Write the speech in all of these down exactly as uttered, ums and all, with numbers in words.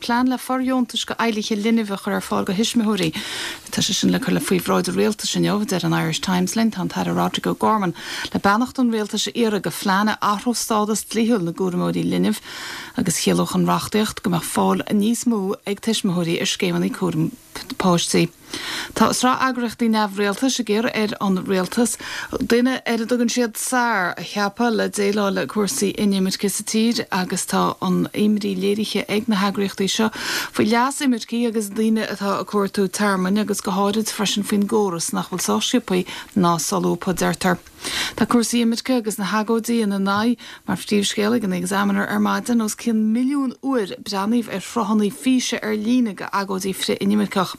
plean le fóirdheontais go éilithe linbh a chur ar fáil go thuismitheoirí. Tá sé sin le cur le faoi bhráid rialtais inniu deir an Irish Times linn tá an tAire Roderic O'Gorman le beannacht an rialtais a iarraidh go phlean a athródh stádas dlíthiúil na gcúramóirí linbh agus chiallódh an reachtaíocht go mbeadh fáil níos mó ag tuismitheoirí ar scéimeanna cúram páistí. Tá sraith eagraíochtaí neamhrialtais ag iarraidh ar an rialtas duine ar a dtugann siad Tsar a cheapadh le déileáil le cúrsaí inimirce sa tír agus tá an imní léirithe ag na heagraíochtaí seo faoi leas imircigh agus daoine atá ag cuartú tearmainn agus go háirid freisin faoin gcóras nach bhfuil sách sciobtha ná solúbtha deirtear. Tá cúrsaí imirce agus na hagóidí ina n-aghaidh mar phríomhscéal ag an Examiner ar maidin os cionn milliún uair breathnaíodh ar shruthanna físe ar líne go agóidí frith-inimirceach.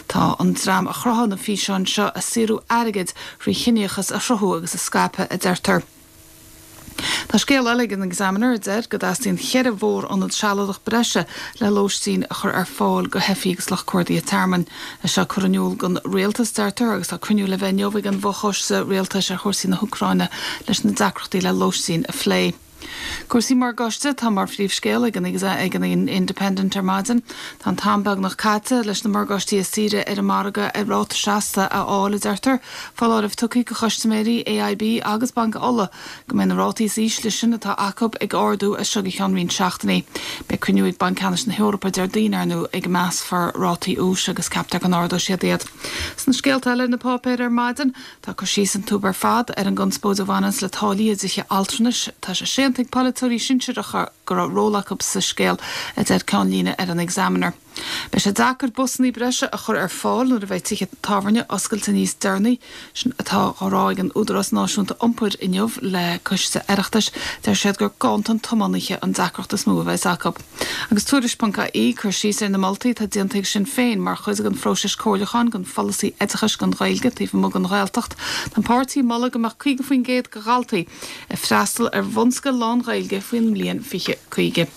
Tá an dream a chruthaigh na físeáin seo ag saothrú airgid trí chiníochas a chruthú agus a scaipeadh a deirtear. Tá scéal eile ag an Examiner a deir go dteastaíonn ceithre mhórionad sealadach breise le lóistín a chur ar fáil go theifigh agus lucht cuardaithe tearmainn. É seo curtha in iúl don rialtas deirtear agus tá cruinniú le bheith inniu ag an bhfochoiste rialtais ar chúrsaí na hÚcráine leis na deacrachtaí le lóistín a phlé. Cúrsaí morgáiste tá mar phríomhscéal ag an ag an Independent ar maidin, Tá an t-am beagnach caite leis na morgáistí is saoire ar an margadh ar ráta seasta a fháil a deirtear, foláireamh tugtha go chustaiméirí AIB agus Banc Uladh go mbeidh na rátaí is ísle sin atá acu ag ardú as seo go ceann roinnt seachtainí. Beidh cruinniú ag Banc Ceannais na hEorpa Déardaoin ar ndóigh ag measfar rátaí úis agus ceaptar go n-ardóidh siad iad. Sna scéalta eile na páipéir ar maidin tá cur síos an túb ar fad ar an gconspóid a bhaineann le táillí i dtithe altranais tá sé séanta ag polaiteoirí sinsearacha go raibh ról acu sa scéal a deir ceannlíne ar an Examiner. Beidh sé deacair busanna breise a chur ar fáil nuair a bheidh tithe tábhairne oscailte níos deireanaí sin atá á rá ag an Údarás Náisiúnta Iompair inniu le coiste Oireachtais deir siad gur ganntan tiománaithe an deacracht is mó a bheas acu. Agus tuairisc.ie cur síos ar na moltaí atá déanta ag Sinn Féin mar chuid den phróiseas comhairliúcháin don pholasaí oideachais don Ghaeilge taobh amuigh den Ghaeltacht, Tá an páirtí ag moladh go mbeadh caoga faoin gcéad de dhaltaí ag freastal ar bhunscoil lán-Ghaeilge faoin mbliain fiche caoga.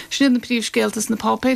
Sin na príomhscéalta sna páipéir.